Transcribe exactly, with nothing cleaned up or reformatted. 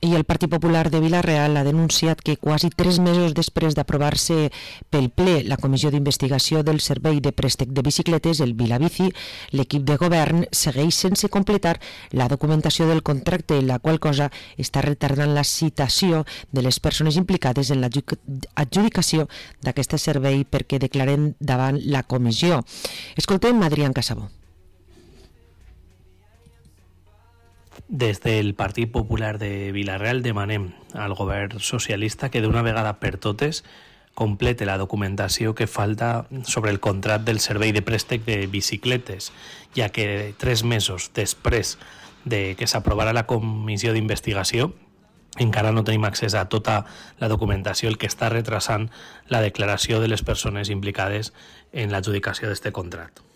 I el Partit Popular de Vila-real ha denunciat que quasi tres mesos després d'aprovar-se pel ple la comissió d'investigació del servei de préstec de bicicletes, el Vilabici, l'equip de govern segueix sense completar la documentació del contracte, la qual cosa està retardant la citació de les persones implicades en l'adjudicació d'aquest servei perquè declaren davant la comissió. Escoltem Adrián Casabó. Des del Partit Popular de Vila-real demanem al govern socialista que d'una vegada per totes complete la documentació que falta sobre el contracte del servei de préstec de bicicletes, ja que tres mesos després de que s'aprovarà la comissió d'investigació encara no tenim accés a tota la documentació, el que està retrasant la declaració de les persones implicades en l'adjudicació d'aquest contracte.